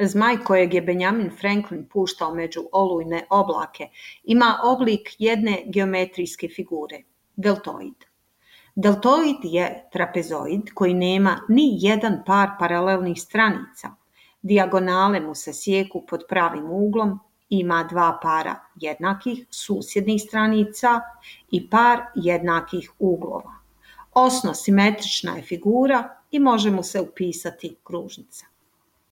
Zmaj kojeg je Benjamin Franklin puštao među olujne oblake ima oblik jedne geometrijske figure, deltoid. Deltoid je trapezoid koji nema ni jedan par paralelnih stranica. Dijagonale mu se sijeku pod pravim uglom, ima dva para jednakih susjednih stranica i par jednakih uglova. Osno simetrična je figura i može mu se upisati kružnica.